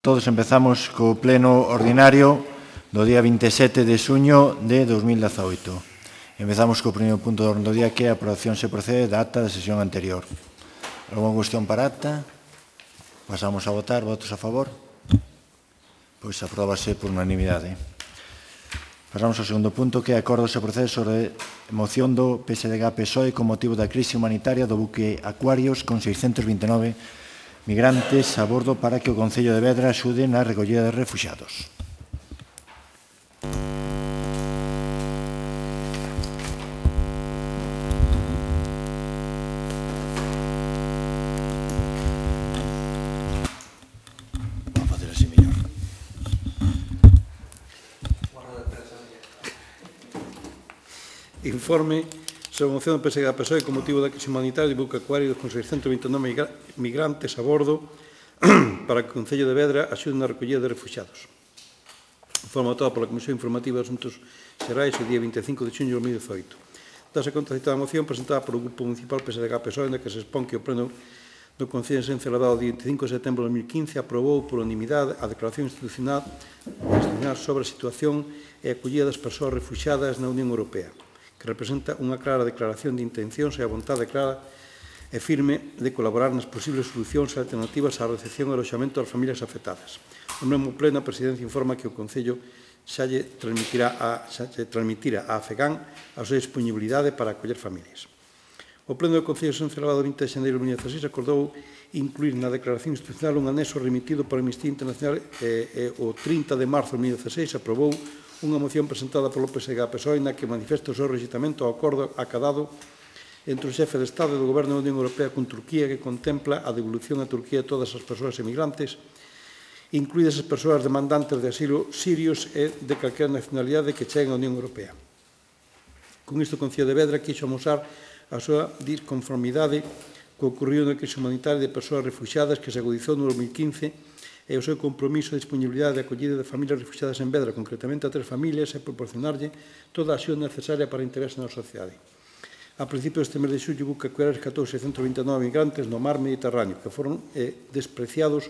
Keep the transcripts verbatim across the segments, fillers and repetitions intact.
Todos empezamos co pleno ordinario do día vinte e sete de xuño de dos mil dezaoito. Empezamos co primeiro punto do orden do día, que é a aprobación se procede da acta da sesión anterior. Alguna cuestión para a acta? Pasamos a votar. Votos a favor? Pois apróbase por unanimidade. Pasamos ao segundo punto, que é acordo se procede sobre a moción do P S D G P S O E con motivo da crise humanitaria do buque Aquarius con seiscentos vinte e nove migrantes a bordo para que o Concello de Vedra axude na recollida de refuxiados. Vamos a facer así mellor. Informe sobre a moción do P S D G P S O E con motivo da crise humanitaria do buque Aquarius con seiscentos vinte e nove migrantes a bordo para que o Concello de Vedra axude na recollida de refuxiados. Informe votado pola Comisión Informativa de Asuntos Xerais o día vinte e cinco de xuño de dos mil dezaoito. Dase conta citada moción presentada polo Grupo Municipal P S D G P S O E, na que se expón que o Pleno do Concello de celebrado o día vinte e cinco de setembro de dos mil quince aprobou por unanimidade a declaración institucional sobre a situación e a acollida das persoas refuxiadas na Unión Europea, que representa unha clara declaración de intencións e a vontade clara e firme de colaborar nas posibles solucións e alternativas á recepción e aloxamento das familias afectadas. O mesmo pleno, a Presidencia informa que o Concello xa lle transmitirá a, xa lle transmitira a Afegán a súa disponibilidade para acoller familias. O Pleno do Concello de celebrado o vinte de xaneiro de dos mil dezaseis acordou incluir na declaración institucional un anexo remitido por Amnistía Internacional e, e o trinta de marzo de dos mil dezaseis aprobou unha moción presentada polo P S D G P S O E na que manifesta o seu rexeitamento ao acordo acadado entre o xefe de Estado e do Goberno da Unión Europea con Turquía, que contempla a devolución a Turquía de todas as persoas emigrantes, incluídas as persoas demandantes de asilo sirios e de calquera nacionalidade que cheguen á Unión Europea. Con isto, o Concello de Vedra quixo amosar a súa disconformidade co ocorrido na crise humanitaria de persoas refuxiadas que se agudizou no dos mil quince e o seu compromiso de disponibilidade de acollida de familias refuxiadas en Vedra, concretamente a tres familias, e proporcionarlle toda a axuda necesaria para integrarse na sociedade. A principios deste mes de xullo, o buque Aquarius rescatou seiscentos vinte e nove migrantes no mar Mediterráneo, que foron eh, despreciados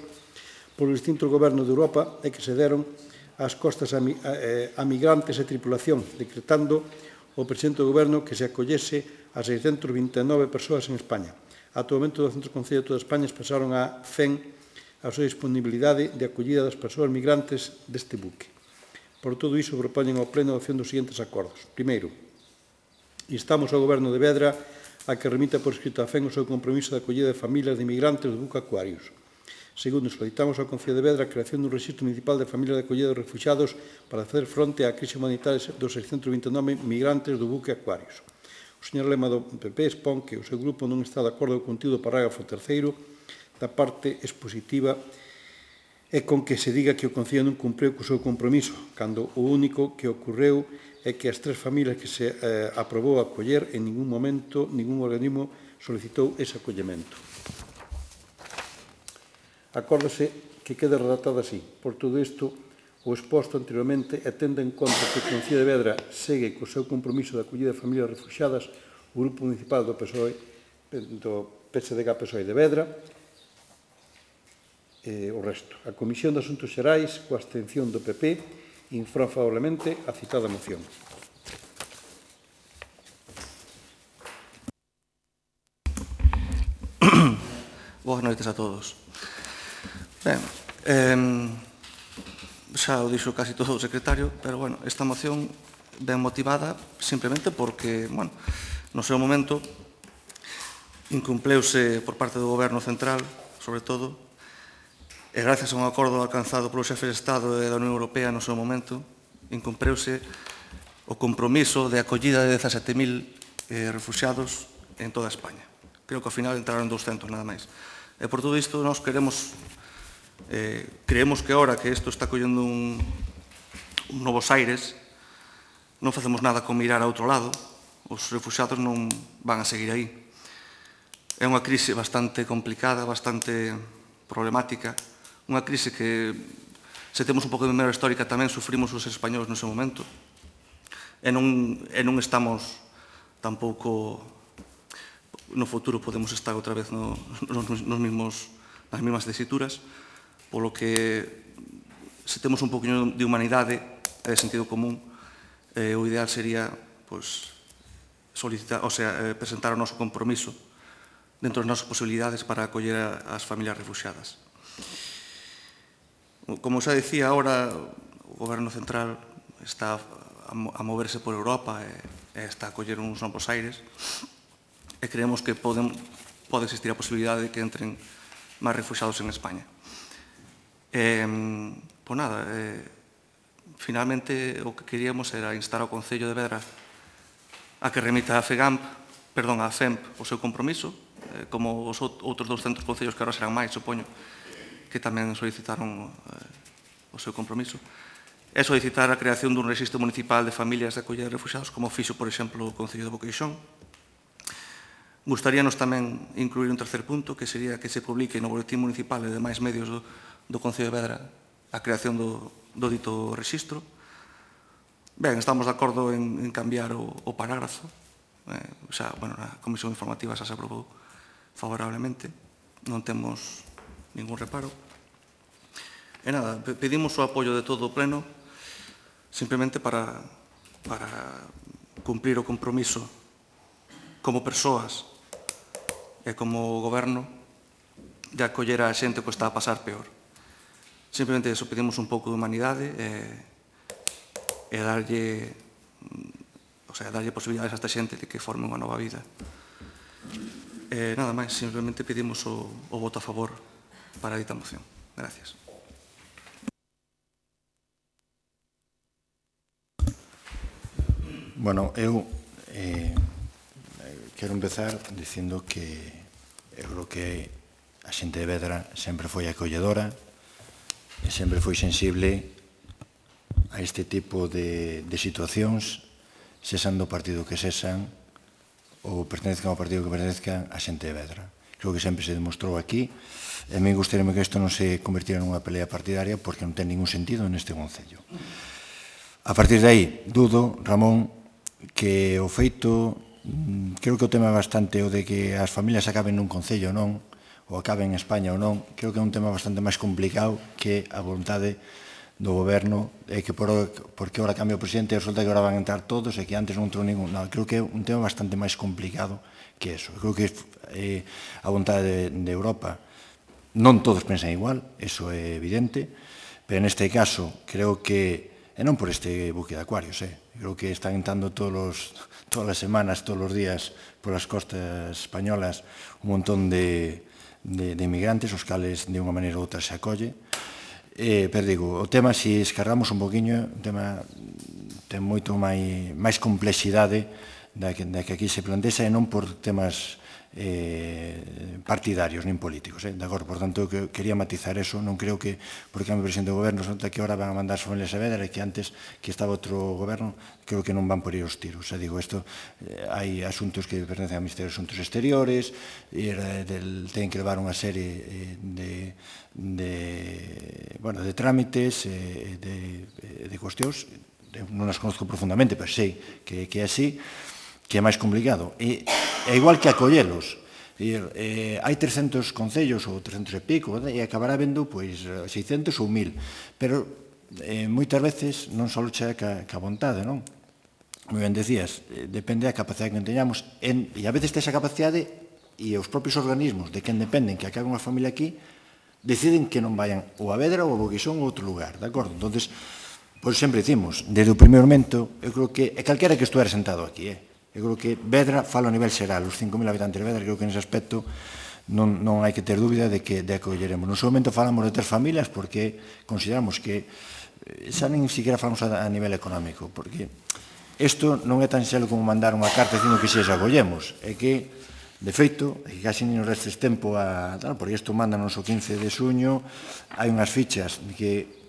polos distintos gobernos de Europa e que se deron ás costas a, a, a migrantes e tripulación, decretando o presidente do goberno que se acollese a seiscentos vinte e nove persoas en España. Ata o momento, douscentos concellos de toda España expresaron a cen a súa disponibilidade de acollida das persoas migrantes deste buque. Por todo iso, propoñen ao Pleno a adopción dos seguintes acordos. Primeiro, instamos ao Goberno de Vedra a que remita por escrito a FEN o seu compromiso de acollida de familias de migrantes do buque Aquarius. Segundo, solicitamos ao Concello de Vedra a creación dun rexistro municipal de familias de acollida de refuxiados para facer fronte á crise humanitaria dos seiscentos vinte e nove migrantes do buque Aquarius. O señor Lema do P P expón que o seu grupo non está de acordo co contido do parágrafo terceiro da parte expositiva e con que se diga que o Concello non cumpriu co seu compromiso, cando o único que ocorreu é que as tres familias que se eh, aprobou acoller en ningún momento ningún organismo solicitou ese acollemento. Acórdase que quede redactado así. Por todo isto, o exposto anteriormente e tendo en conta que o Concello de Vedra segue co seu compromiso de acollida de familias refuxiadas, o Grupo Municipal do P S O E, do P S D G P S O E de Vedra, eh, o resto. A Comisión de Asuntos Xerais, coa abstención do P P, informa favorablemente a citada moción. Boas noites a todos. Ben, eh, xa o dixo casi todo o secretario, pero, bueno, esta moción ben motivada simplemente porque, bueno, no seu momento incumpleuse por parte do Goberno Central, sobre todo, e gracias a un acordo alcanzado polo xefe de Estado e da Unión Europea no seu momento, incumpreuse o compromiso de acollida de dezasete mil eh, refuxiados en toda España. Creo que ao final entraron douscentos, nada máis. E por todo isto, nós queremos, eh, creemos que ahora que isto está collendo un, un novos aires, non facemos nada con mirar a outro lado, os refuxiados non van a seguir aí. É unha crise bastante complicada, bastante problemática, unha crise que, se temos un pouco de memoria histórica, tamén sufrimos os españoles no seu momento, e non, e non estamos tampouco, no futuro podemos estar outra vez no, nos, nos mismos, nas mesmas tesituras, polo que se temos un poquinho de humanidade e de sentido común, eh, o ideal sería pois, solicitar, o sea, eh, presentar o noso compromiso dentro das nosas posibilidades para acoller as familias refugiadas. Como xa dicía, agora o Goberno Central está a moverse por Europa e está a coller uns novos aires e creemos que pode existir a posibilidade de que entren máis refugiados en España. Pois nada, finalmente o que queríamos era instar ao Concello de Vedra a que remita a FEGAMP, perdón, a FEMP o seu compromiso, como os outros douscentos concellos que agora serán máis, supoño, que tamén solicitaron o seu compromiso, é solicitar a creación dun registro municipal de familias de acollida de refugiados, como fixo, por exemplo, o Concello de Boqueixón. Gustaríanos tamén incluir un tercer punto, que sería que se publique no boletín municipal e demais medios do, do Concello de Vedra a creación do, do dito registro. Ben, estamos de acordo en, en cambiar o, o parágrafo. Eh, xa, bueno, na Comisión Informativa xa se aprobou favorablemente. Non temos ningún reparo. E nada, pedimos o apoio de todo o Pleno simplemente para, para cumprir o compromiso como persoas e como goberno de acoller a xente que está a pasar peor. Simplemente eso, pedimos un pouco de humanidade e, e darlle, o sea, darlle posibilidades a esta xente de que forme unha nova vida. E nada máis, simplemente pedimos o, o voto a favor para a dita moción. Gracias. Bueno, eu eh, quero empezar dicindo que eu creo que a xente de Vedra sempre foi acolledora e sempre foi sensible a este tipo de, de situacións, sexan do partido que sexan ou pertenezcan ao partido que pertenezcan a xente de Vedra. Creo que sempre se demostrou aquí e a mí gustaría que isto non se convertira nunha pelea partidaria porque non ten ningún sentido neste concello. A partir de aí, dudo, Ramón, que o feito, creo que o tema é bastante o de que as familias acaben nun concello ou non, ou acaben en España ou non, creo que é un tema bastante máis complicado que a vontade do goberno, e que por, porque ora cambia o presidente e resulta que ora van entrar todos e que antes non entrou ningún. Non, creo que é un tema bastante máis complicado que eso. Creo que é a vontade de, de Europa. Non todos pensan igual, eso é evidente, pero neste caso creo que, e non por este buque de Acuarios, eh, creo que están entrando todos, todas as semanas, todos os días, polas costas españolas, un montón de, de, de inmigrantes, os cales de unha maneira ou outra se acolle. Eh, pero digo, o tema, se escarramos un poquinho, o tema ten moito máis, máis complexidade da que, da que aquí se plantexa, e non por temas eh, partidarios nin políticos, eh? De acordo, por tanto, que quería matizar eso. Non creo que, porque cambio presidente do goberno, resulta que ahora van a mandar as familias a Vedra e que antes que estaba outro goberno, creo que non van por ir os tiros. O sea, digo, isto, eh, hai asuntos que pertencen ao Ministerio de Asuntos Exteriores, e del, ten que levar unha serie de, de, bueno, de trámites, eh, de, de cuestións, non as conozco profundamente, pero sei que, que é así, que é máis complicado. E é igual que acollelos. Eh, hai trescentos concellos ou trescentos e pico, e acabará vendo pois, seiscentos ou mil. Pero eh, moitas veces non só chega ca, ca vontade, non? Moi ben decías, eh, depende da capacidade que teñamos. En, e a veces esa capacidade e os propios organismos de quen dependen que acaben unha familia aquí deciden que non vayan ou a Vedra ou a Boqueixón ou outro lugar, de acordo? Entonces, pois sempre dicimos, desde o primeiro momento, eu creo que, e calquera que estuera sentado aquí, eh? Eu creo que Vedra fala a nivel xeral, os cinco mil habitantes de Vedra, creo que nese aspecto non, non hai que ter dúbida de que de acolleremos. No seu momento falamos de tres familias porque consideramos que xa nin siquiera falamos a, a nivel económico, porque isto non é tan xelo como mandar unha carta dicindo que se acollemos, é que, de feito, é que casi non nos restes tempo a... Tal, porque isto manda nos o quince de suño, hai unhas fichas que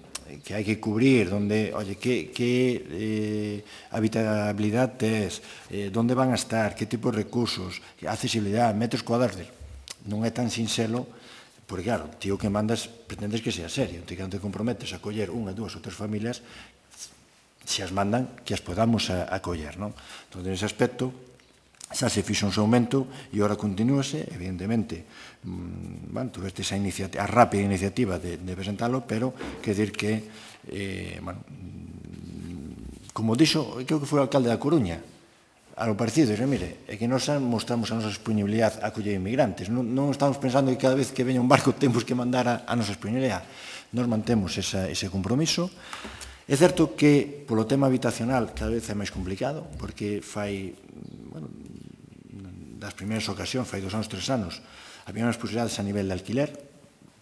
que hai que cubrir, donde, oye, que, que eh, habitabilidade tes, eh, donde van a estar, que tipo de recursos, accesibilidade, metros cuadrados, non é tan sinxelo, porque, claro, tío que mandas, pretendes que sea serio, te que non te comprometes a coller unha, dúas ou tres familias, se as mandan, que as podamos a, a coller, non? Entón, nese aspecto, xa se fixo un seu momento e ora continúase, evidentemente, bueno, tuveste esa iniciativa, a rápida iniciativa de, de presentalo, pero quer dizer que, eh, bueno, como dixo, creo que foi o alcalde da Coruña, algo parecido, e mire, é que nos mostramos a nosa disponibilidade a acoller inmigrantes, non, non estamos pensando que cada vez que veña un barco temos que mandar a, a nosa disponibilidade, nos mantemos esa, ese compromiso. É certo que, polo tema habitacional, cada vez é máis complicado, porque fai, bueno, das primeiras ocasións, fai dos anos, tres anos, había unhas posibilidades a nivel de alquiler,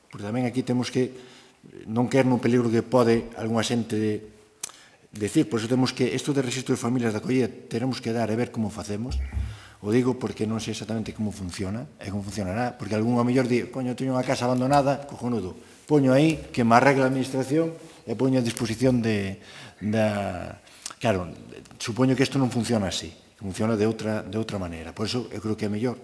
porque tamén aquí temos que non quer no peligro que pode algunha xente de decir, por iso temos que, isto de registro de familias de acollida, teremos que dar e ver como facemos, o digo porque non sei exactamente como funciona, e como funcionará, porque algún ao mellor di, coño, teño unha casa abandonada, cojonudo, poño aí que me arregla a administración e poño a disposición de, da... Claro, supoño que isto non funciona así, funciona de outra, de outra maneira. Por iso, eu creo que é mellor,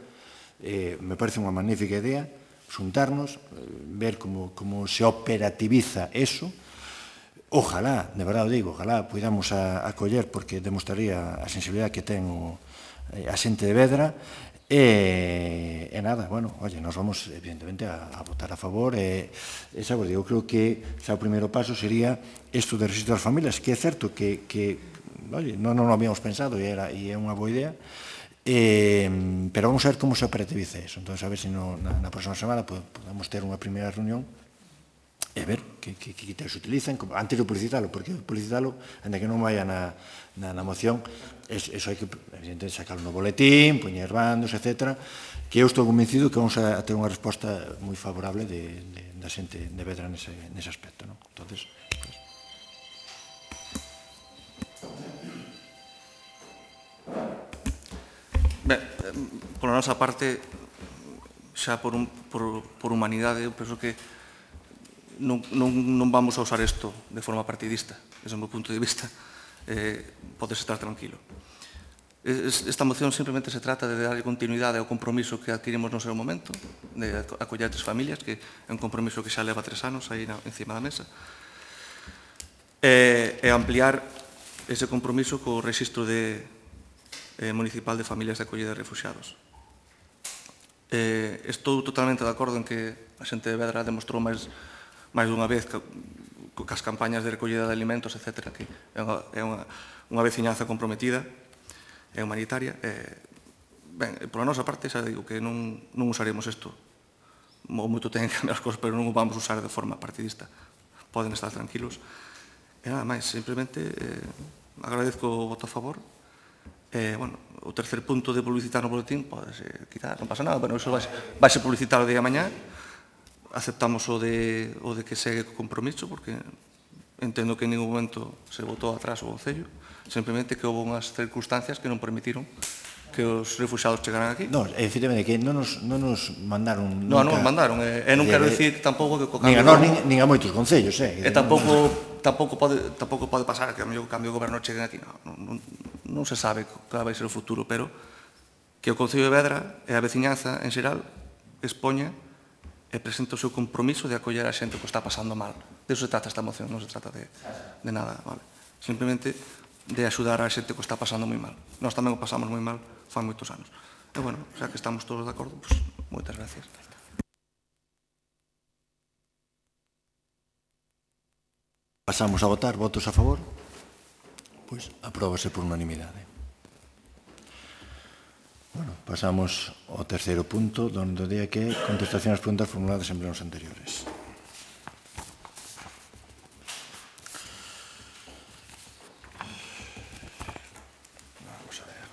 eh, me parece unha magnífica idea, xuntarnos, eh, ver como, como se operativiza eso. Ojalá, de verdade o digo, ojalá podamos a, a coller, porque demostraría a sensibilidade que ten o, a xente de Vedra, e, e nada, bueno, oye, nos vamos evidentemente a, a votar a favor, e, e xa vos digo, creo que xa o primeiro paso sería isto de registro das familias, que é certo que, que oye, non, non o habíamos pensado e, era, e é unha boa idea, eh, pero vamos a ver como se operativiza eso. Entón, a ver se no, na, na próxima semana podemos ter unha primeira reunión e ver que, que, que criterios se utilizan, antes de publicitarlo, porque publicitarlo, ainda que non vaya na, na, na moción, eso, eso hai que, evidentemente, sacarlo no boletín, poñer bandos, etcétera, que eu estou convencido que vamos a, a ter unha resposta moi favorable de, de, da xente de Vedra nese, nese aspecto, non? Entonces, pues, ben, pola nosa parte, xa por, un, por, por humanidade, eu penso que non, non, non vamos a usar isto de forma partidista, desde o meu punto de vista, eh, podes estar tranquilo. Esta moción simplemente se trata de darle continuidade ao compromiso que adquirimos no seu momento, de acoller tres familias, que é un compromiso que xa leva tres anos aí na, encima da mesa, e, e ampliar ese compromiso co registro de, eh, municipal de familias de acollida de refugiados. Eh, estou totalmente de acordo en que a xente de Vedra demostrou máis máis dunha vez que, que as campañas de recollida de alimentos, etcétera, que é unha, é unha, unha veciñanza comprometida e humanitaria. Eh, ben, pola nosa parte, xa digo que non, non usaremos isto. O moito ten que cambiar as cosas, pero non o vamos usar de forma partidista. Poden estar tranquilos. E nada máis, simplemente eh, agradezco o voto a favor. Eh, bueno, o tercer punto de publicitar no boletín, pode ser quitar, non pasa nada, bueno, iso vai, vai ser publicitar o día de mañá. Aceptamos o de, o de que segue o compromiso, porque entendo que en ningún momento se votou atrás o Concello, simplemente que houve unhas circunstancias que non permitiron que os refugiados chegaran aquí. Non, efectivamente, que non nos, non nos mandaron Non, nunca... non mandaron, e, e non quero dicir tampouco que co cambio... Nin a nós, nin, nin a moitos concellos, eh? E tampouco, tampouco, pode, tampouco pode pasar que a mellor cambio de goberno cheguen aquí, non, non, non se sabe cal vai ser o futuro, pero que o Concello de Vedra e a veciñanza en xeral expoña e presenta o seu compromiso de acoller a xente que está pasando mal. De iso se trata esta moción, non se trata de, de nada, vale? Simplemente de axudar a xente que está pasando moi mal. Nós tamén o pasamos moi mal fan moitos anos. E, bueno, xa que estamos todos de acordo, pues, moitas gracias. Pasamos a votar. Votos a favor? Pois apróbase por unanimidade. Bueno, pasamos ao terceiro punto, donde o día que é contestación ás preguntas formuladas en plenos anteriores. Vamos a ver.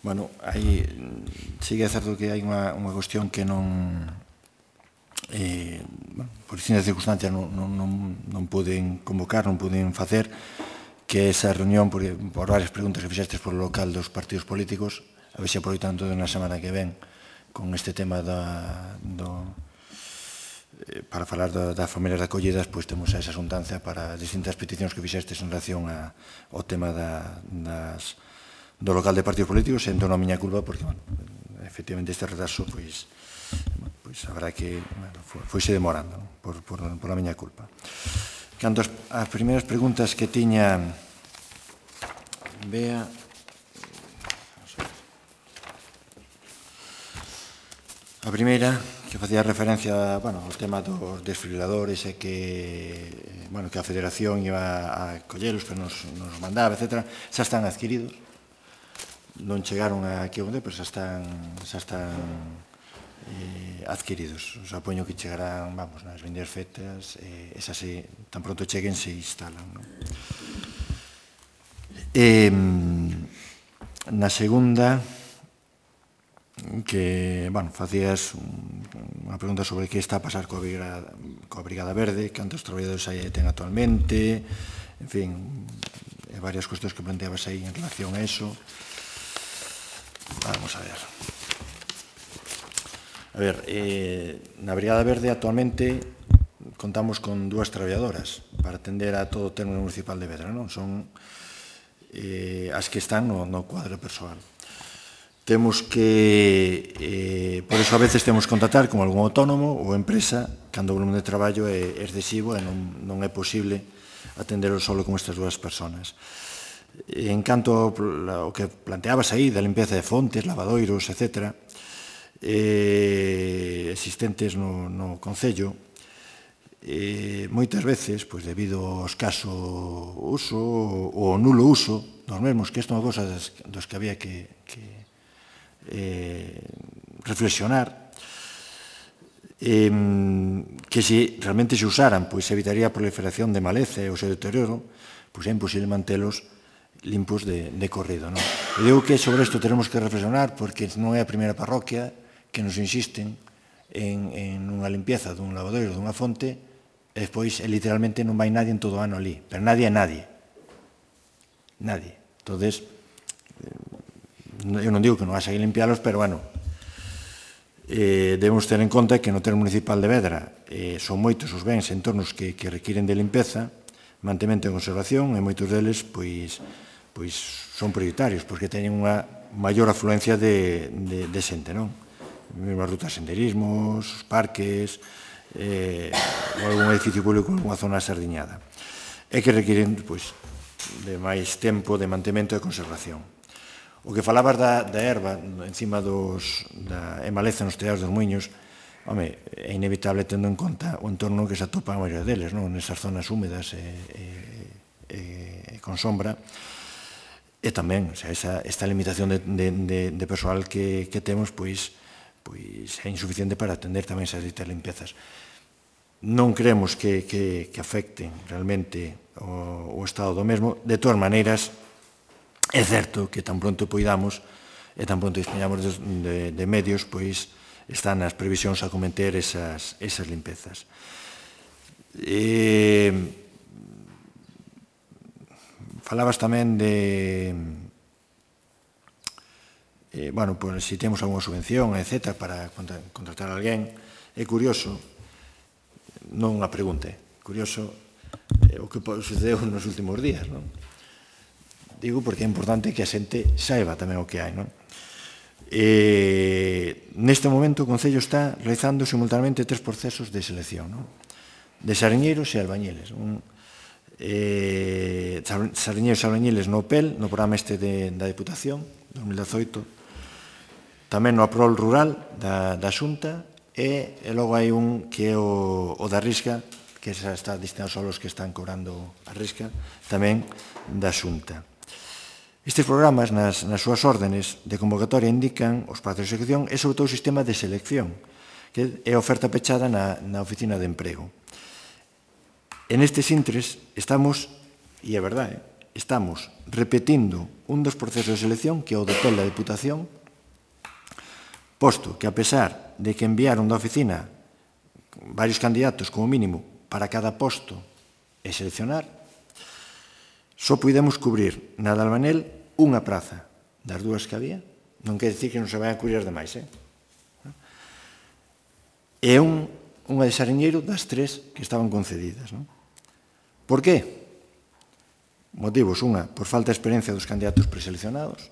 Bueno, aí sí que é certo que hai unha, unha cuestión que non, eh, bueno, por distintas circunstancias non, non, non, non poden convocar, non poden facer, que esa reunión, por, por varias preguntas que fixestes por o local dos partidos políticos, a ver se aproveitando na semana que ven con este tema da, do, eh, para falar da, das familias de acollidas, pois temos esa xuntanza para distintas peticións que fixestes en relación a, ao tema da, das do local de partidos políticos, e entón a miña culpa, porque, bueno, efectivamente este retraso, pois, pois habrá que, bueno, foise demorando, non? por, por, por a miña culpa. Canto as, as primeiras preguntas que tiña Bea, a primeira, que facía referencia, bueno, ao tema dos desfibriladores e que, bueno, que a Federación iba a colleros, que nos, nos mandaba, etcétera, xa están adquiridos. Non chegaron aquí onde, pero xa están, xa están eh, adquiridos. Os apoño que chegarán, vamos, nas vindeiras feitas, eh, esas se, tan pronto cheguen se instalan, non? Eh, na segunda, que, bueno, facías unha pregunta sobre que está a pasar coa Brigada, coa Brigada Verde, cantos traballadores aí ten actualmente, en fin, e varias cuestións que planteabas aí en relación a eso. Vamos a ver. A ver, eh, na Brigada Verde actualmente contamos con dúas traballadoras para atender a todo o término municipal de Vedra, non? Son eh, as que están no, no cuadro persoal. Temos que, eh, por eso a veces temos que contratar con algún autónomo ou empresa cando o volumen de traballo é excesivo e non, non é posible atender solo con estas dúas personas. En canto ao que planteabas aí da limpieza de fontes, lavadoiros, etcétera, eh, existentes no, no Concello, eh, moitas veces, pois, debido ao escaso uso ou ao nulo uso dos mesmos, que isto é unha cosa dos que había que, que eh, reflexionar, eh, que se realmente se usaran, pois evitaría a proliferación de maleza e o seu deterioro, pois é imposible mantelos limpos de, de corrido, non? Eu digo que sobre isto teremos que reflexionar porque non é a primeira parroquia que nos insisten en, en unha limpieza dun lavadoiro, dunha fonte, e despois literalmente non vai nadie en todo o ano ali, pero nadie é nadie. Nadie. Entonces, eu non digo que non haxa que limpialos, pero, bueno, eh, debemos ter en conta que no termo municipal de Vedra eh, son moitos os bens e entornos que, que requiren de limpeza, mantemento e conservación, e moitos deles, pois, pois son prioritarios, porque teñen unha maior afluencia de, de, de xente, non? Mesmo as rutas de senderismos, os parques, eh, ou algún edificio público en unha zona sardiñada. E que requiren, pois, de máis tempo de mantemento e conservación. O que falabas da, da erva encima dos, da emaleza nos teados dos muiños, home, é inevitable tendo en conta o entorno que se atopa a maioria deles, non? Nesas zonas húmedas e, e, e, e con sombra. E tamén, o sea, esa, esta limitación de, de, de, de persoal que, que temos, pois, pois é insuficiente para atender tamén esas ditas limpiezas. Non creemos que, que, que afecten realmente o, o estado do mesmo. De todas maneiras, é certo que tan pronto poidamos e tan pronto dispoñamos de, de, de medios, pois están as previsións a cometer esas, esas limpezas. E, falabas tamén de, eh, bueno, pues, si temos alguna subvención, etcétera, para contra, contratar a alguén. É curioso, non unha pregunta, é curioso eh, o que sucedeu nos últimos días, non? Digo porque é importante que a xente saiba tamén o que hai, non? Eh, neste momento o Concello está realizando simultaneamente tres procesos de selección, non? De sariñeiros e albañiles. Un, eh, sariñeiros e albañiles no P E L, no programa este de, da Deputación, dos mil dezoito, tamén no Aprol Rural da, da Xunta, e, e logo hai un que é o, o da Risca, que xa está destinado só aos que están cobrando a Risca, tamén da Xunta. Estes programas, nas, nas súas órdenes de convocatoria, indican os prazos de execución e, sobre todo, o sistema de selección, que é a oferta pechada na, na oficina de emprego. En estes intres estamos, e é verdade, estamos repetindo un dos procesos de selección que é o do P E L da Deputación, posto que, a pesar de que enviaron da oficina varios candidatos como mínimo para cada posto e seleccionar, só pudemos cubrir na de Albanel unha praza das dúas que había. Non quer dicir que non se vai a cubrir as demais, eh? E un, unha de Sariñeiro das tres que estaban concedidas, non? Por qué? Motivos, unha, por falta de experiencia dos candidatos preseleccionados,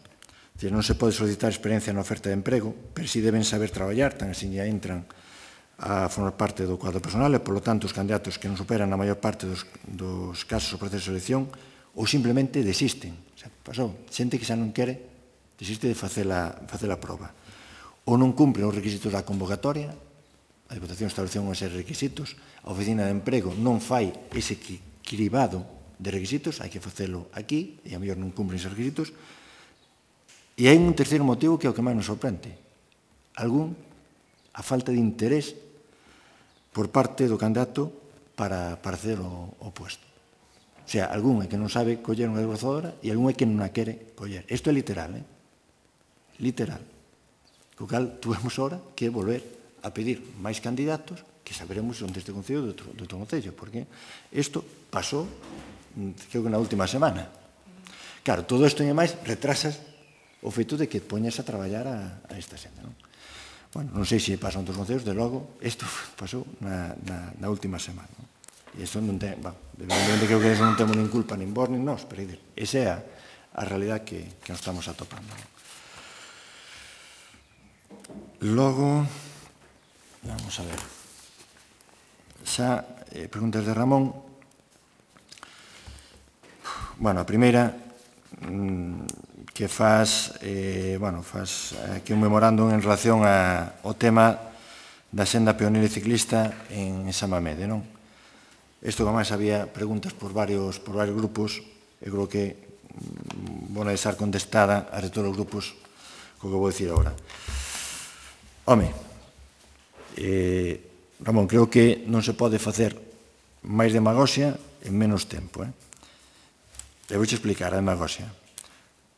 Non se pode solicitar experiencia na oferta de emprego, pero si deben saber traballar, tan así ya entran a formar parte do cuadro personal e, polo tanto, os candidatos que non superan a maior parte dos, dos casos o proceso de selección ou simplemente desisten. O sea, pasou, xente que xa non quere, desiste de facer a, facer a prova. Ou non cumpren os requisitos da convocatoria, a Diputación estableceu unha serie de requisitos, a Oficina de Emprego non fai ese cribado de requisitos, hai que facelo aquí, e a mellor non cumpren esos requisitos. E hai un terceiro motivo que é o que máis nos sorprende. Algún, a falta de interés por parte do candidato para, para hacer o, o puesto. O sea, algún é que non sabe coller unha desbrozadora e algún é que non a quere coller. Isto é literal, eh? Literal. Co cal, tuvemos ahora que volver a pedir máis candidatos que saberemos onde este Concello de outro, de outro Concello, porque isto pasou, creo que na última semana. Claro, todo isto e máis retrasas o feito de que poñas a traballar a, a esta xente, non? Bueno, non sei se pasan outros concellos, de logo, isto pasou na, na, na última semana, non? E isto non ten, bueno, evidentemente creo que iso non temos nin culpa, nin vos, nin nós, pero esa é a, a realidad que, que nos estamos atopando, non? Logo, vamos a ver, xa, eh, preguntas de Ramón. Bueno, a primeira, mmm, que faz, eh, bueno, faz aquí un memorándum en relación a, ao tema da senda peonil e ciclista en Samamede, non? Isto, como máis, había preguntas por varios, por varios grupos, e creo que mm, vou deixar contestada a de todos os grupos co que vou dicir agora. Home, eh, Ramón, creo que non se pode facer máis demagoxia en menos tempo, eh? E vou explicar a demagoxia.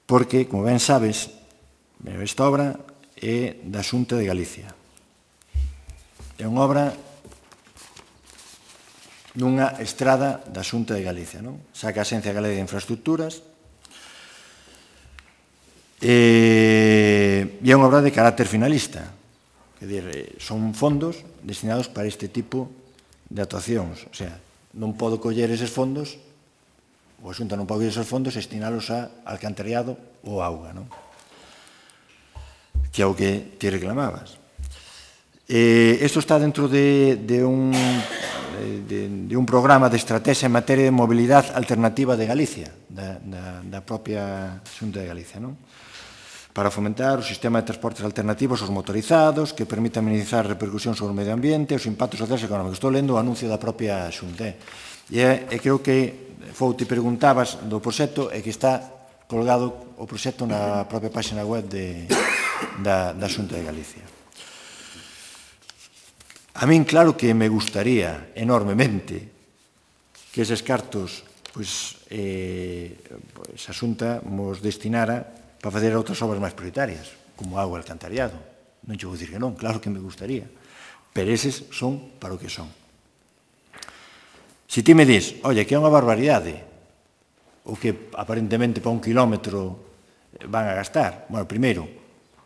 Porque, como ben sabes, esta obra é da Xunta de Galicia. É unha obra nunha estrada da Xunta de Galicia, non? Saca a Axencia Galega de Infraestructuras e é unha obra de carácter finalista. Quer dizer, son fondos destinados para este tipo de actuacións. O sea, non podo coller eses fondos, o a Xunta non pode coller eses fondos e destinalos a alcantarillado ou auga, non? Que é o que te reclamabas. Eh, isto está dentro de, de, un, de, de un programa de estrategia en materia de mobilidade alternativa de Galicia, da, da, da propia Xunta de Galicia, non? Para fomentar o sistema de transportes alternativos aos motorizados, que permita minimizar a repercusión sobre o medio ambiente e os impactos sociais e económicos. Estou lendo o anuncio da propia Xunta. E, e creo que Fou, te preguntabas do proxecto e que está colgado o proxecto na propia página web de, da, da Xunta de Galicia. A min, claro que me gustaría enormemente que eses cartos pois, eh, pois a Xunta nos destinara para fazer outras obras máis prioritarias, como agua e alcantarillado. Non che vou dicir que non, claro que me gustaría, pero eses son para o que son. Se ti me dis, oye, que é unha barbaridade, o que aparentemente para un kilómetro van a gastar, bueno, primeiro,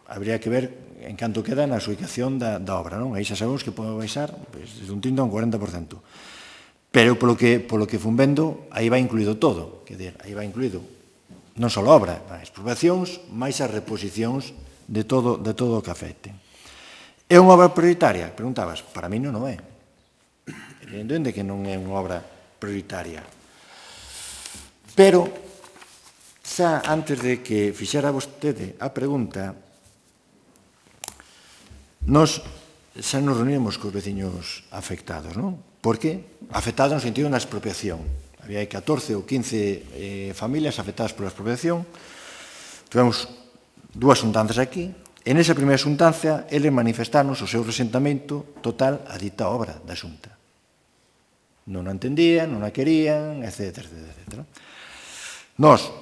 habría que ver en canto queda na ubicación da, da obra, non? Aí xa sabemos que pode baixar pues, desde un trinta a un cuarenta por cento. Pero polo que, polo que fun vendo, aí vai incluído todo, que dir, aí vai incluído non só a obra, as expropiacións, máis as reposicións de todo, de todo o que afecte. É unha obra prioritaria? Preguntabas, para mí non o é. Evidentemente que non é unha obra prioritaria. Pero, xa antes de que fixera vostede a pregunta, nos xa nos reunimos cos veciños afectados, non? Por que? Afectados no sentido da expropiación. Había catorce ou quince eh, familias afectadas pola expropiación. Tivemos dúas xuntanzas aquí, e nesa primeira xuntanza eles manifestaron o seu resentamento total a dita obra da Xunta. Non a entendían, non a querían, etcétera, etcétera, etcétera. Nós,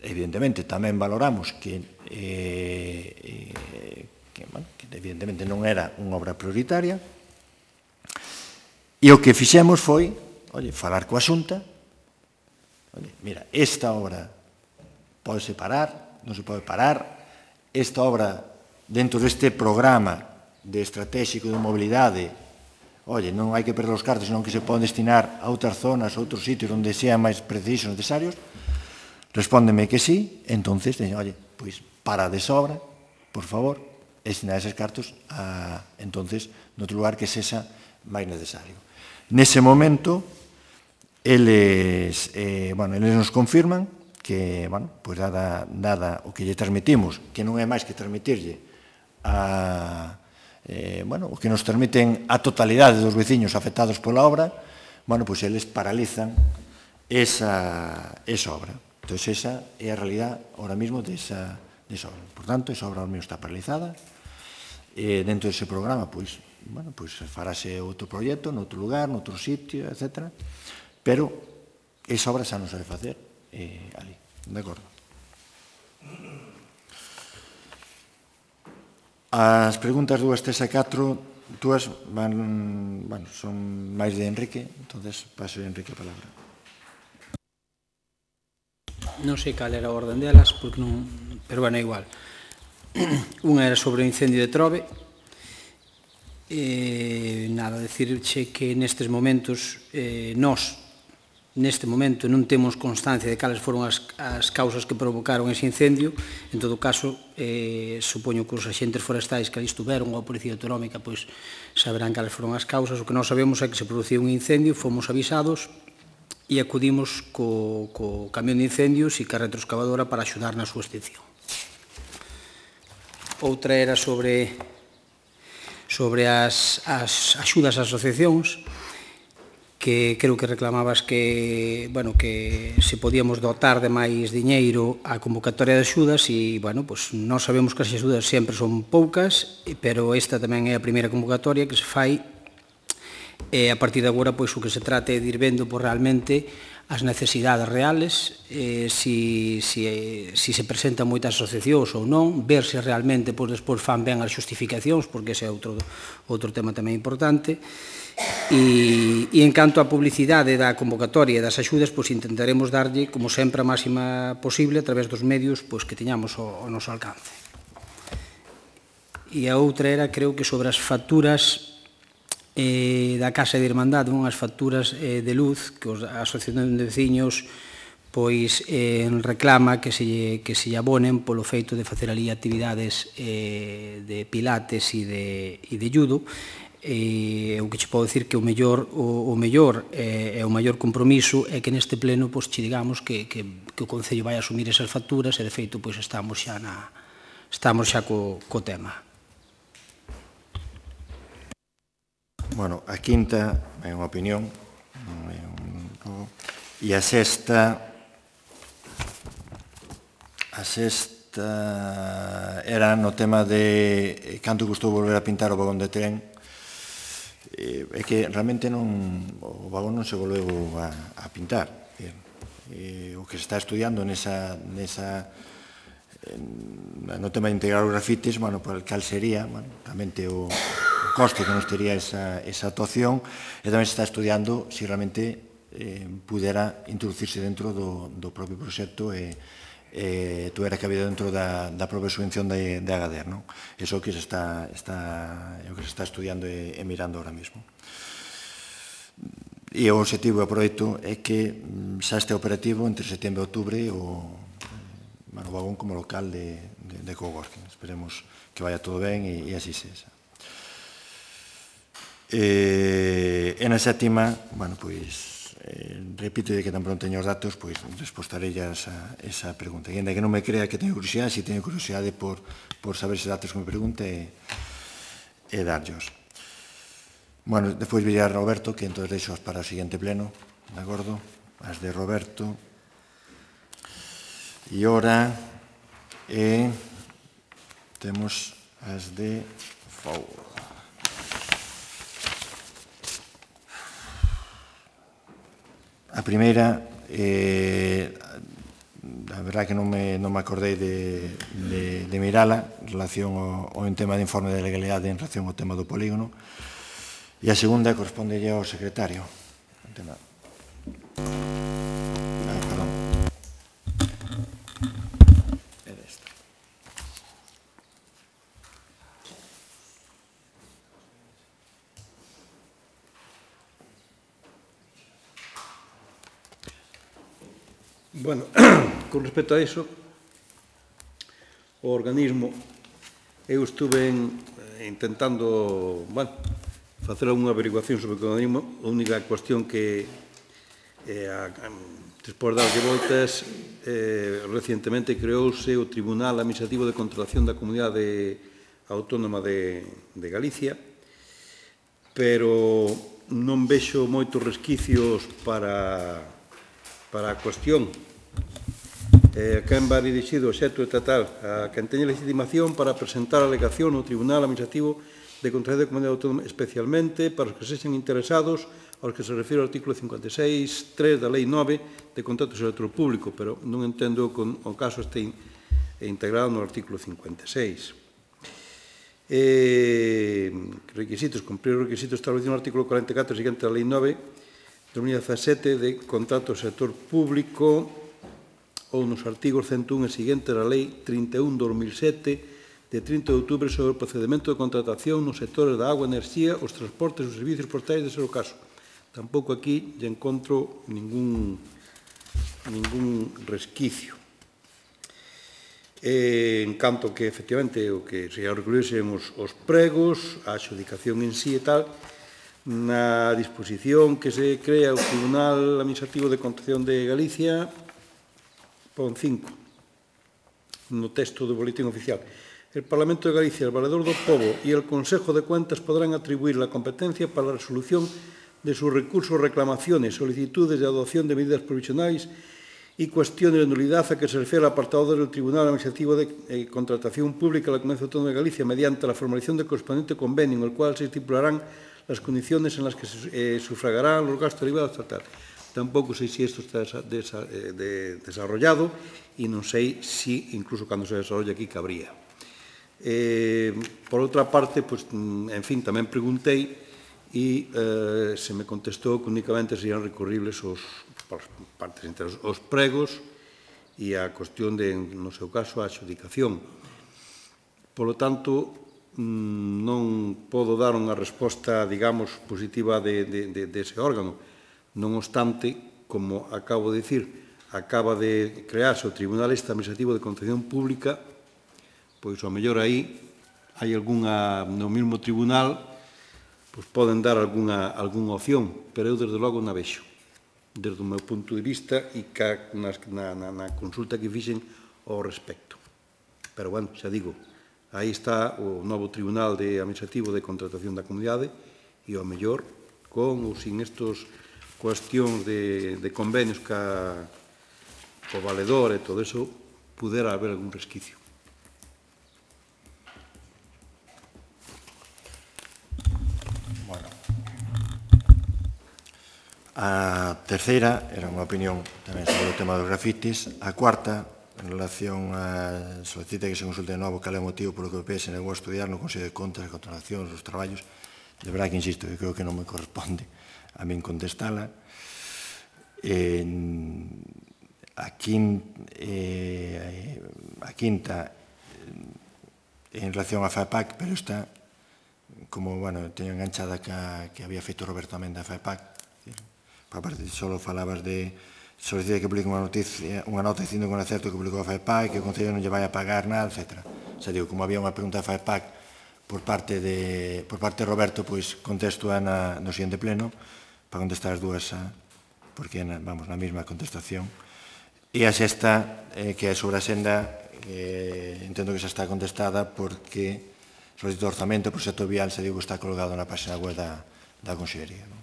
evidentemente, tamén valoramos que, eh, eh, que, bueno, que evidentemente non era unha obra prioritaria, e o que fixemos foi, oye, falar coa Xunta, oye, mira, esta obra podese parar, non se pode parar, esta obra dentro deste programa de estratégico de mobilidade, oye, non hai que perder os cartos, senón que se poden destinar a outras zonas, a outros sitios onde sean máis precisos, necesarios. Respóndeme que sí, entonces, oye, pois, para de sobra, por favor, destinar eses cartos a, entonces, noutro lugar que sexa máis necesario. Nese momento, eles, eh, bueno, eles nos confirman que, bueno, pois dada, dada o que lle transmitimos, que non é máis que transmitirlle a, eh, bueno, o que nos transmiten a totalidade dos veciños afectados pola obra, bueno, pois eles paralizan esa, esa obra. Entón, esa é a realidad ahora mismo desa, desa obra. Por tanto, esa obra ahora mismo está paralizada. E dentro dese programa, pois, bueno, pois farase outro proxecto, noutro lugar, noutro sitio, etcétera. Pero esa obra xa non se debe facer eh, ali. De acordo? As preguntas dúas, tres e catro, dúas van, bueno, son máis de Enrique, entonces paso a Enrique a palabra. Non sei cal era a orden delas, porque non, pero bueno, é igual. Unha era sobre o incendio de Trove. E, nada, decirche que nestes momentos, eh, nós, neste momento, non temos constancia de cales foron as, as causas que provocaron ese incendio. En todo caso, eh, supoño que os axentes forestais que ali estuveron, ou a Policía Autonómica, pois saberán cales foron as causas. O que nós sabemos é que se produciu un incendio, fomos avisados e acudimos co, co camión de incendios e ca retroexcavadora para axudar na súa extinción. Outra era sobre, sobre as, as axudas ás asociacións, que creo que reclamabas que, bueno, que se podíamos dotar de máis diñeiro á convocatoria de axudas e, bueno, pues, nós sabemos que as axudas sempre son poucas, pero esta tamén é a primeira convocatoria que se fai e a partir de agora, pois, o que se trata é de ir vendo por realmente as necesidades reales, eh, si, si, si se presentan moitas asociacións ou non, ver se realmente pois, despois fan ben as xustificacións, porque ese é outro, outro tema tamén importante. E, e en canto á publicidade da convocatoria e das axudas, pois intentaremos darlle, como sempre, a máxima posible a través dos medios pois, que teñamos ao, ao noso alcance. E a outra era, creo que sobre as facturas eh, da Casa de Irmandade, unhas facturas eh, de luz que os, a Asociación de Veciños pois eh, reclama que se, que se abonen polo feito de facer ali actividades eh, de pilates e de, e de judo. E o que che podo dicir que o mellor o, o mellor e eh, o maior compromiso é que neste pleno pois che digamos que, que, que o Concello vai asumir esas facturas e de feito pois estamos xa na estamos xa co, co tema. Bueno, a quinta é unha opinión e a sexta a sexta era no tema de canto custou volver a pintar o vagón de tren. É que realmente non, o vagón non se volveu a, a pintar. E, o que se está estudiando nesa, nesa, no tema de integrar os grafites, bueno, por cal sería, bueno, realmente o, o coste que nos tería esa, esa actuación, e tamén se está estudiando se si realmente eh, pudera introducirse dentro do, do propio proxecto e eh, tuera cabido dentro da, da propia subvención de, de Agadir, non? Eso que se está, está, é o que se está estudiando e, e mirando ahora mismo. E o objetivo do proxecto é que xa este operativo entre setembro e outubro o, bueno, o vagón como local de, de, de coworking. Esperemos que vaya todo ben e, e así sexa. E, e na sétima, bueno, pois Eh, repito que tan pronto teño os datos, pois respostarei a esa, esa pregunta. E ainda que non me crea que teño curiosidade, si teño curiosidade por, por saber esos datos que me pregunte e, e darllos. Bueno, despois virá Roberto, que entón deixo para o seguinte pleno, de acordo? As de Roberto. E ora e temos as de Fou. A primeira, eh, a verdade que non me, non me acordei de, de, de mirala en relación ao, ao tema de informe de legalidade en relación ao tema do polígono, e a segunda corresponde ao secretario. O tema. Ah, perdón. Era esta. Bueno, con respecto a iso, o organismo, eu estuve intentando, bueno, facer unha averiguación sobre o organismo. A única cuestión que, despois de darlle voltas, recientemente creouse o Tribunal Administrativo de Contratación da Comunidade Autónoma de Galicia, pero non vexo moitos resquicios para a cuestión. A quen va dirixido o xeto estatal? A quen teña legitimación para presentar a alegación no Tribunal Administrativo de Contratación da Comunidade Autónoma, especialmente para os que sexen interesados aos que se refire o artículo cincuenta e seis punto tres da Lei nove de contrato do sector público, pero non entendo que o caso este integrado no artículo cincuenta e seis. Requisitos, cumprir os requisitos establecidos no artículo cuarenta e catro seguinte da Lei nove de dos mil dezasete de contrato do sector público ou nos artigos cento un e seguinte da Lei trinta e un barra dos mil sete de trinta de outubro sobre o procedimento de contratación nos sectores da agua, enerxía, os transportes e os servicios postais, de ser o caso. Tampouco aquí lle encontro ningún resquicio. En canto que, efectivamente, o que se recurrisen os pregos, a adxudicación en sí e tal, na disposición que se crea o Tribunal Administrativo de Contratación de Galicia, pon cinco, no texto do boletín oficial. El Parlamento de Galicia, el Valedor do Pobo y el Consejo de Cuentas podrán atribuir la competencia para la resolución de sus recursos, reclamaciones, solicitudes de adopción de medidas provisionales y cuestiones de nulidad a que se refiere el apartado del Tribunal Administrativo de Contratación Pública de la Comunidad Autónoma de Galicia mediante la formalización del correspondiente convenio en el cual se estipularán las condiciones en las que se eh, sufragarán los gastos derivados tal, tal. Tampoco sé si esto está desa, de, de, desarrollado y no sé si incluso cuando se desarrolle aquí cabría. Eh, por outra parte, pues, en fin, tamén preguntei e eh, se me contestou que únicamente serían recurribles os, por partes entre os, os pregos e a cuestión de, no seu caso, a adxudicación. Por lo tanto, non podo dar unha resposta, digamos, positiva de, de, de, de ese órgano. Non obstante, como acabo de dicir, acaba de crearse o Tribunal Administrativo de Contratación Pública, pois ao mellor aí hai algunha, no mesmo tribunal, pois poden dar algunha, algunha opción, pero eu desde logo na vexo, desde o meu punto de vista e ca, na, na, na consulta que fixen ao respecto. Pero, bueno, xa digo, aí está o novo Tribunal de Administrativo de Contratación da Comunidade e ao mellor, con ou sin estos cuestións de, de convenios ca o valedor e todo eso, pudera haber algún resquicio. A terceira era unha opinión tamén sobre o tema dos grafitis. A cuarta, en relación a solicita que se consulte de novo cal é o motivo polo que o P S negou a estudiar no Consello de Contas, as contratacións, os traballos. De verdade que insisto, eu creo que non me corresponde a min contestala. Eh, a, quin, eh, a quinta, en relación a FAEPAC, pero está, como, bueno, teño enganchada que, que había feito Roberto tamén da FAEPAC. Por parte, só falabas de solicita que publique unha noticia, unha nota dicindo con acerto que publicou a FAEPAC, que o Concello non lle vai a pagar nada, etcétera. O sea, digo, como había unha pregunta da FAEPAC por parte de, por parte de Roberto, pois contesto na, no siguiente pleno, para contestar as dúas, porque na, vamos, na mesma contestación. E a sexta, eh, que é sobre a senda, eh, entendo que xa está contestada porque solicito orzamento, o proxecto vial, se digo que está colgado na página web da, da Consellería. No?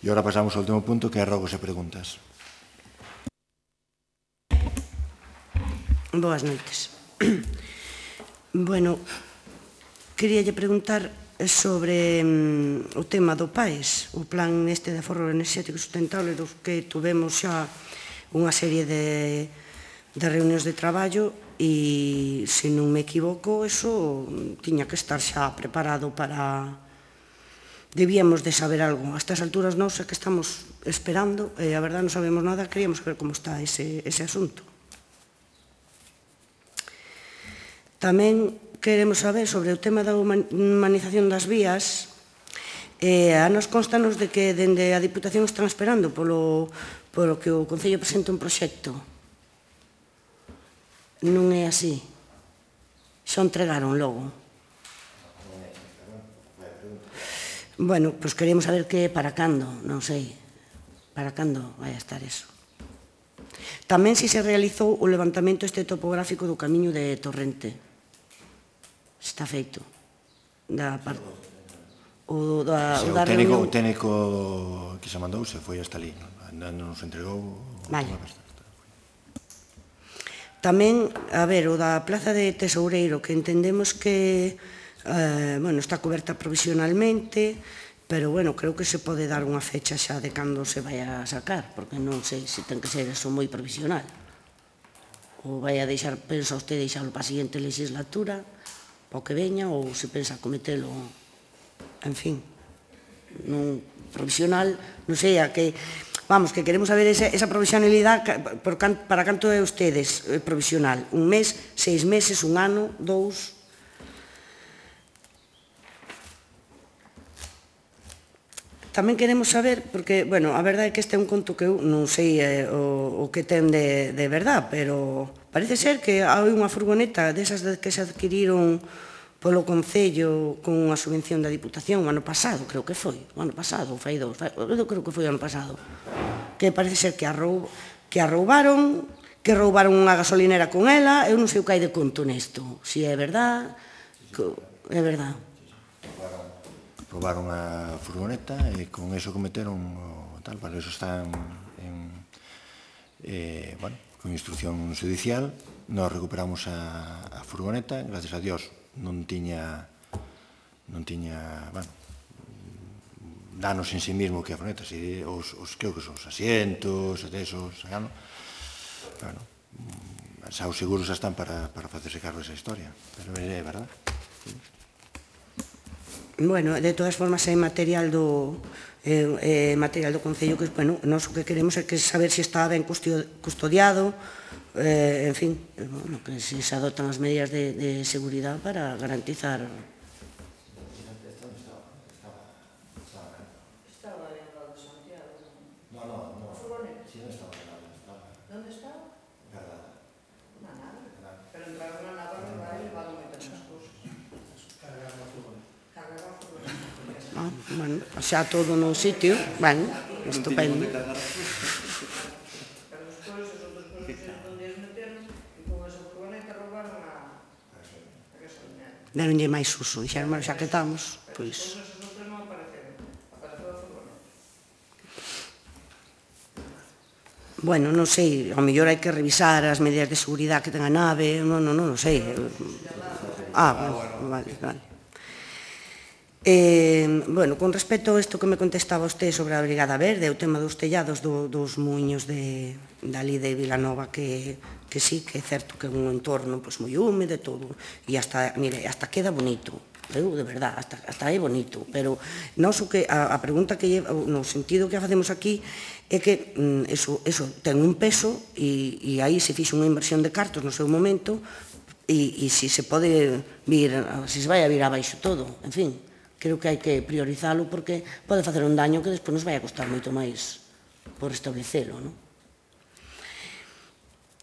E agora pasamos ao último punto, que é rogos e preguntas. Boas noites. Bueno, queríalle preguntar sobre um, o tema do PAES, o plan este de aforro enerxético sustentable, dos que tuvemos xa unha serie de, de reunións de traballo e, se non me equivoco, eso tiña que estar xa preparado para... Debíamos de saber algo. A estas alturas non sei que estamos esperando, e a verdade non sabemos nada, queríamos ver como está ese, ese asunto. Tamén queremos saber sobre o tema da humanización das vías. Eh, a nos constanos de que dende a Diputación están esperando polo, polo que o Concello presente un proxecto. Non é así. Xa entregaron logo. Bueno, pois queremos saber que para cando, non sei. Para cando vai a estar eso. Tamén si se realizou o levantamento este topográfico do camiño de Torrente. Está feito. Da parte... O da, Se o o da técnico, o reunión... técnico que se mandou se foi hasta ali, non nos entregou. Vale. Tamén, a ver, o da Plaza de Tesoureiro, que entendemos que eh, bueno, está coberta provisionalmente, pero bueno, creo que se pode dar unha fecha xa de cando se vai a sacar, porque non sei se ten que ser eso moi provisional. Ou vai a deixar, pensa usted deixarlo para a seguinte legislatura, para o que veña, ou se pensa cometelo, en fin, non provisional, non sei, a que... Vamos, que queremos saber esa, esa provisionalidade por can, para canto é ustedes eh, provisional. Un mes, seis meses, un ano, dous... Tamén queremos saber, porque, bueno, a verdade é que este é un conto que eu non sei eh, o, o que ten de, de verdad, pero parece ser que hai unha furgoneta desas de que se adquiriron polo Concello con unha subvención da Diputación o ano pasado, creo que foi, o ano pasado, fai dous, fai, eu creo que foi o ano pasado, que parece ser que a, roub, que a roubaron, que roubaron unha gasolinera con ela, eu non sei o que hai de conto nesto, se é verdad, que, é verdad. Roubaron a furgoneta e con eso cometeron o tal, para eso están en, eh, bueno, con instrucción judicial, nos recuperamos a, a furgoneta, gracias a Dios, non tiña non tiña, bueno, danos en sí mismo que a furgoneta, si, os, os, creo que son os asientos, esos, bueno, bueno, xa os seguros xa están para, para facerse cargo desa historia, pero é verdad. Bueno, de todas formas é material do eh, eh, material do Concello que, bueno, nós o que queremos é que saber se está ben custodiado, eh, en fin, bueno, que se se adoptan as medidas de, de seguridade para garantizar. Estaba en lado de Santiago. No, no, no. A furgoneta. Sí, non estaba en lado. Onde estaba? Verdad. Na nave. Pero entraron na nave e levaron moitas máis cousas. Cargaron a furgoneta. Cargaron a furgoneta. Ah, bueno, xa todo no sitio, bueno, estupendo. Deronlle máis uso, dixeron, xa que estamos, pois... Bueno, non sei, ao mellor hai que revisar as medidas de seguridade que ten a nave, non, non, non, non sei. Ah, vale, vale. Eh, bueno, con respecto a isto que me contestaba usted sobre a Brigada Verde, o tema dos tellados do, dos muiños de, dali de Vilanova, que, que sí, que é certo que é un entorno pues, moi húmedo e todo, e hasta, mire, hasta queda bonito, eu, de verdad, hasta, hasta é bonito, pero nós o que, a, a pregunta que lleva, no sentido que facemos aquí, é que mm, eso, eso ten un peso e, e aí se fixe unha inversión de cartos no seu momento e, e se se pode vir, se se vai a vir abaixo todo, en fin, creo que hai que priorizalo porque pode facer un daño que despois nos vai a costar moito máis por establecelo, non?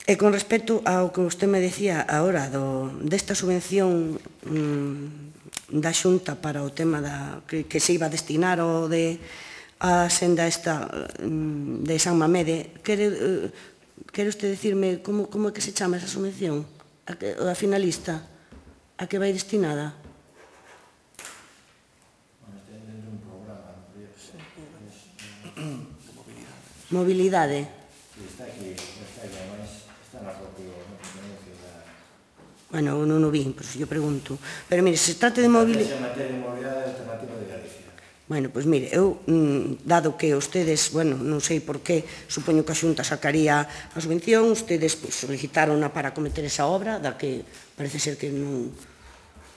E con respecto ao que usted me decía agora do, desta subvención mmm, da Xunta para o tema da, que, que se iba a destinar ao de a senda esta mmm, de San Mamede, quere, uh, quere usted decirme como, como é que se chama esa subvención? A, que, a finalista? A que vai destinada? Mobilidade. Está aquí, está aquí, además, está na propio anuncio da... Bueno, non o vi, por si yo pregunto. Pero mire, se trata de mobilidade... Se materia de mobilidade alternativa de Galicia. Bueno, pois mire, eu, dado que ustedes, bueno, non sei por qué, supoño que a Xunta sacaría a subvención, ustedes solicitaron para cometer esa obra, da que parece ser que non,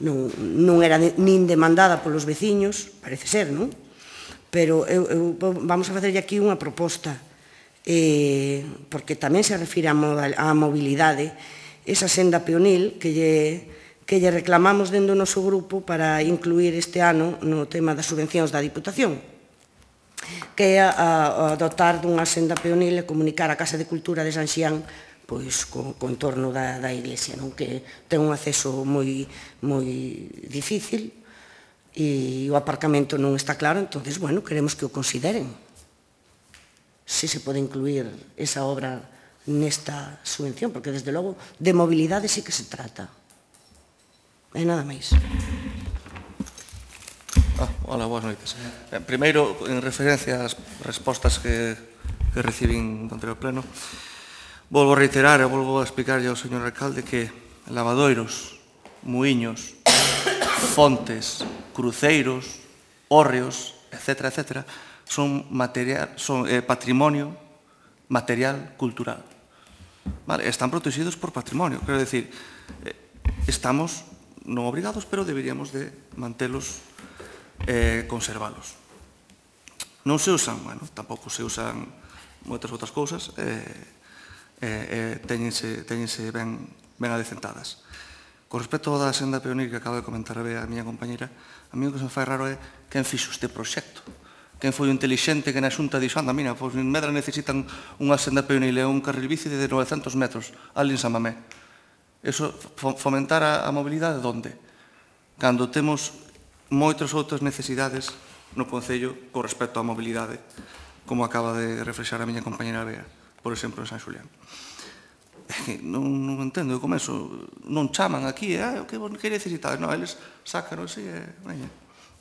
non, non era nin demandada polos veciños, parece ser, non? Pero eu, eu, vamos a facerlle aquí unha proposta, eh, porque tamén se refire á mobilidade, esa senda peonil que lle, que lle reclamamos dentro do noso grupo para incluir este ano no tema das subvencións da Diputación, que é a, a dotar dunha senda peonil e comunicar a Casa de Cultura de San Xián pois, co, co entorno da, da iglesia, non? Que ten un acceso moi, moi difícil e o aparcamento non está claro, entonces, bueno, queremos que o consideren. Se se pode incluir esa obra nesta subvención, porque, desde logo, de mobilidade sí que se trata. E nada máis. Ah, hola, boas noites. Eh, primeiro, en referencia ás respostas que, que recibín do anterior pleno, volvo a reiterar e volvo a explicarlle ao señor alcalde que lavadoiros, muiños, fontes, cruceiros, hórreos, etcétera, etcétera, son, material, son eh, patrimonio material cultural. Vale, están protegidos por patrimonio. Quero decir, eh, estamos non obrigados, pero deberíamos de mantelos, eh, conservalos. Non se usan, bueno, tampouco se usan moitas outras cousas, eh, eh, eh, teñense, teñense ben, ben adecentadas. Con respecto da senda peonil que acaba de comentar a miña compañera, a mí o que se me fai raro é quen fixo este proxecto. Quen foi o intelixente que na xunta dixo, anda, mira, pois en Medra necesitan unha senda peonil e un carril bici de novecentos metros, ali en San Mamé. Eso, fomentar a, a mobilidade, onde? Cando temos moitas outras necesidades no Concello con respecto á mobilidade, como acaba de reflexar a miña compañera Bea, por exemplo, en San Xulián. Non, non entendo, como eso, non chaman aquí, eh, o que, que necesitades? Non, eles sacan así, e, veña,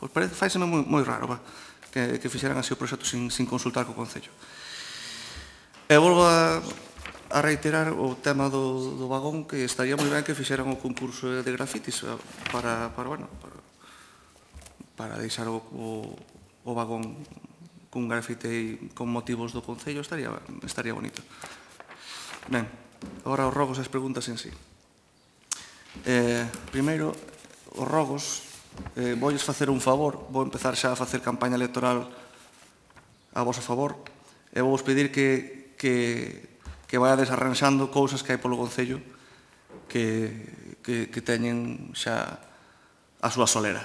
pois parece, faiseme moi, moi raro, va, que, que fixeran así o proxecto sin, sin consultar co Concello. E volvo a, a reiterar o tema do, do vagón, que estaría moi ben que fixeran o concurso de grafitis para, para, bueno, para, para deixar o, o, o vagón cun grafite con motivos do Concello, estaría, estaría bonito. Ben, agora os rogos e as preguntas en sí. Eh, primeiro, os rogos, eh, voulles facer un favor, vou empezar xa a facer campaña electoral a vosso favor, e vou vos pedir que, que, que vayades arranxando cousas que hai polo Concello que, que, que teñen xa a súa solera.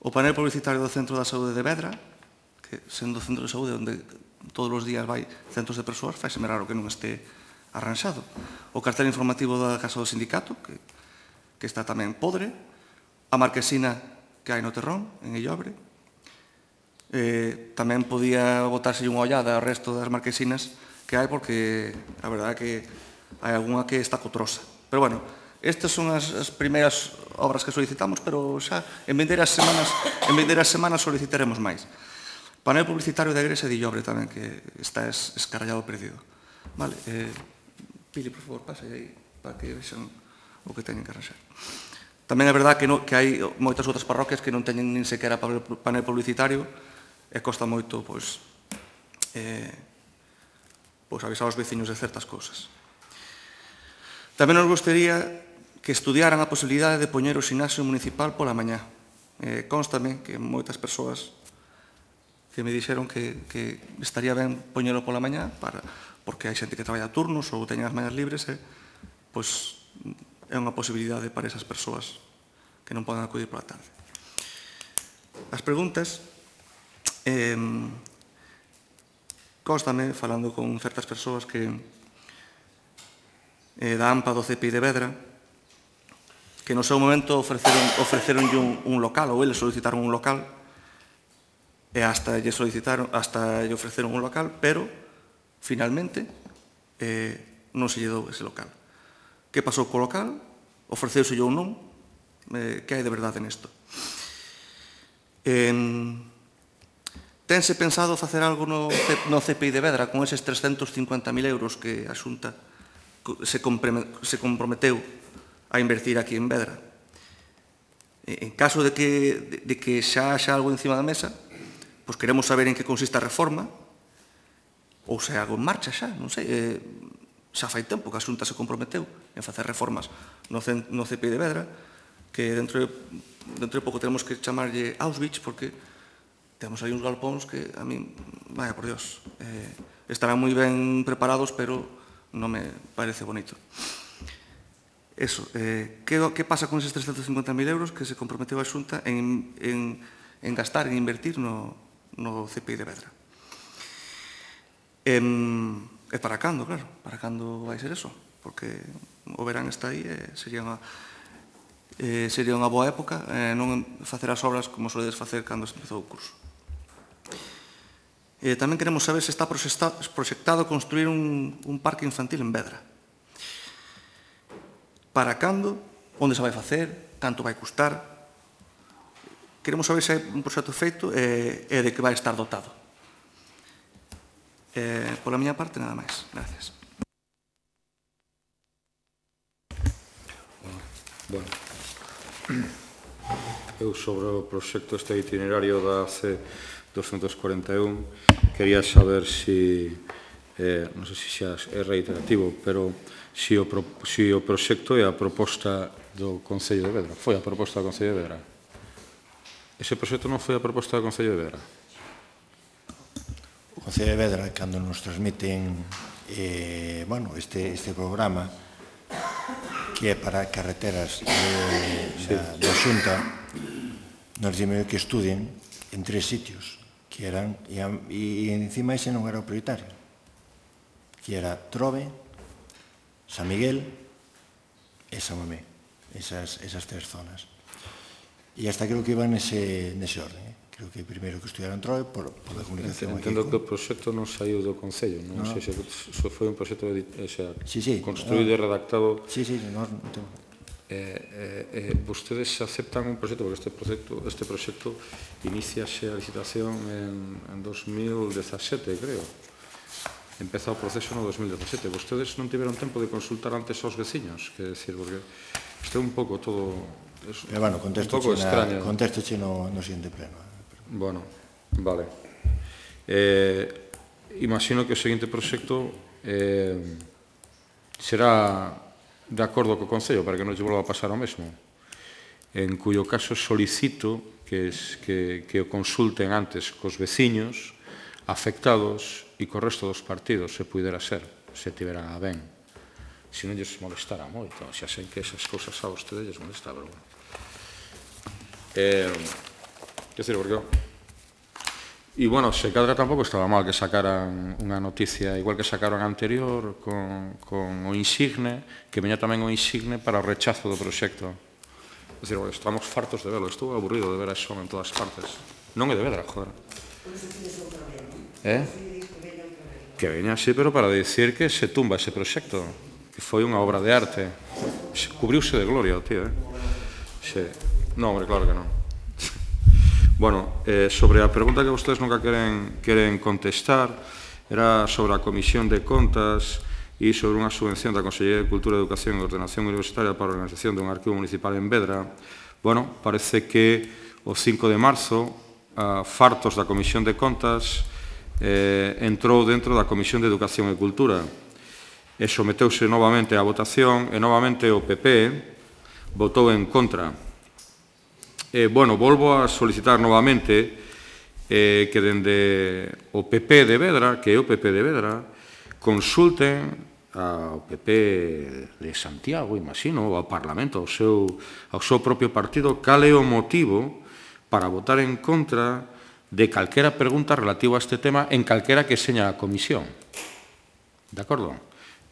O panel publicitario do Centro da Saúde de Vedra, que sendo centro de saúde onde todos os días vai centros de persoas, faiseme raro que non este arranxado. O cartel informativo da Casa do Sindicato, que, que está tamén podre, a marquesina que hai no Terrón, en Illobre. Eh, tamén podía botarse unha ollada ao resto das marquesinas que hai, porque a verdade é que hai algunha que está cotrosa. Pero, bueno, estas son as, as primeiras obras que solicitamos, pero xa en vindeiras semanas, en vindeiras semanas solicitaremos máis. Panel publicitario da Igrexa de Illobre tamén, que está es, escarallado perdido. Vale, eh, Pili, por favor, pasa aí para que vexan o que teñen que arranxar. Tamén é verdade que, no, que hai moitas outras parroquias que non teñen nin sequera panel publicitario e costa moito, pois, eh, pois avisar aos veciños de certas cousas. Tamén nos gustaría que estudiaran a posibilidade de poñer o ximnasio municipal pola mañá. Eh, constame que moitas persoas que me dixeron que, que estaría ben poñelo pola mañá para, porque hai xente que traballa turnos ou teñen as mañas libres e pois é unha posibilidade para esas persoas que non poden acudir pola tarde. As preguntas eh, constame, falando con certas persoas que eh, da AMPA do C P I de Vedra, que no seu momento ofreceron, ofreceron un, un local, ou eles solicitaron un local, e hasta lle solicitaron, hasta lle ofreceron un local, pero finalmente eh, non se lle dou ese local. Que pasou co local? Ofreceuselle ou non? Eh, que hai de verdade nesto? Eh, tense pensado facer algo no, no C P I de Vedra con eses trescentos cincuenta mil euros que a Xunta se, se comprometeu a invertir aquí en Vedra? En caso de que, de, de que xa haxa algo encima da mesa, pois queremos saber en que consiste a reforma, ou se algo en marcha xa, non sei, eh, xa fai tempo que a Xunta se comprometeu en facer reformas no, no C P I de Vedra, que dentro de, dentro de pouco tenemos que chamarlle Auschwitz, porque temos aí uns galpóns que a mí, vaya por Dios, eh, estarán moi ben preparados, pero non me parece bonito. Eso, eh, que, que pasa con eses trescentos cincuenta mil euros que se comprometeu a Xunta en, en, en gastar, en invertir no, no C P I de Vedra? Eh, E para cando, claro, para cando vai ser eso? Porque o verán está aí e sería unha, eh, sería unha boa época eh, non facer as obras como soledes facer cando se empezou o curso. Eh, tamén queremos saber se está proxectado construir un, un parque infantil en Vedra. Para cando, onde se vai facer, canto vai custar. Queremos saber se hai un proxecto feito e, e de que vai estar dotado. Eh, pola miña parte, nada máis. Gracias. Bueno, eu sobre o proxecto este itinerario da C doscientos cuarenta e un quería saber si, eh, non sei se xa é reiterativo, pero si o, pro, si o proxecto é a proposta do Concello de Vedra. Foi a proposta do Concello de Vedra. Ese proxecto non foi a proposta do Concello de Vedra. O Concello de Vedra, cando nos transmiten eh, bueno, este, este programa que é para carreteras de, sí. da, da Xunta, nos dime que estudien en tres sitios que eran, e, e encima ese non era o prioritario, que era Trove, San Miguel e San Mamé, esas, esas tres zonas. E hasta creo que iban nese, nese orden. Eh? Creo que primeiro que estudiaron Trove por, por a comunicación. Entendo que o proxecto non saiu do Concello, non sei se foi un proxecto sí, sí, construído e redactado. Sí, sí, non tengo. Eh, eh, vostedes aceptan un proxecto, porque este proxecto, este proxecto iniciase a licitación en, en dos mil dezasete, creo. Empeza o proceso no dos mil dezasete. Vostedes non tiveron tempo de consultar antes aos veciños, que decir, porque este é un pouco todo... Es Pero, bueno, contesto un pouco extraño. Contesto che no, no siguiente pleno. Bueno, vale. Eh, imagino que o seguinte proxecto eh, será de acordo co Concello, para que non lle volva a pasar o mesmo, en cuyo caso solicito que, que, que o consulten antes cos veciños afectados e co resto dos partidos, se pudera ser, se tivera ben. Se non lles molestara moito, xa sei que esas cousas a vostedes lles molesta, pero bueno. Eh, que decir, porque... E, bueno, se cadra tampouco estaba mal que sacaran unha noticia, igual que sacaron a anterior, con, con o insigne, que veña tamén o insigne para o rechazo do proxecto. É dicir, bueno, estamos fartos de verlo, estou aburrido de ver a Xon en todas partes. Non é de Vedra, joder. Eh? Que veña así, pero para dicir que se tumba ese proxecto, que foi unha obra de arte. Cubriuse de gloria o tío, eh? Sí. Non, hombre, claro que non. Bueno, eh, sobre a pregunta que vostedes nunca queren, queren contestar, era sobre a Comisión de Contas e sobre unha subvención da Consellería de Cultura, Educación e Ordenación Universitaria para a organización dun arquivo municipal en Vedra. Bueno, parece que o cinco de marzo, a fartos da Comisión de Contas, eh, entrou dentro da Comisión de Educación e Cultura e someteuse novamente á votación e novamente o P P votou en contra. Eh, bueno, volvo a solicitar novamente eh, que dende o P P de Vedra, que é o P P de Vedra, consulten ao P P de Santiago, imagino, ou ao Parlamento, ao seu, ao seu propio partido, cal é o motivo para votar en contra de calquera pregunta relativa a este tema en calquera que seña a comisión. De acordo?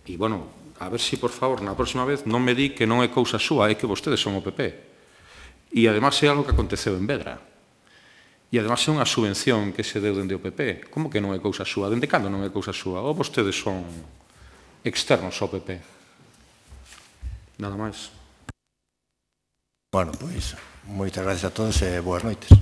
E, bueno, a ver se, por favor, na próxima vez non me di que non é cousa súa, é que vostedes son o P P. E, además, é algo que aconteceu en Vedra. E, además, é unha subvención que se deu dende o P P. Como que non é cousa súa? Dende cando non é cousa súa? Ou vostedes son externos ao P P? Nada máis. Bueno, pois, moitas gracias a todos e boas noites.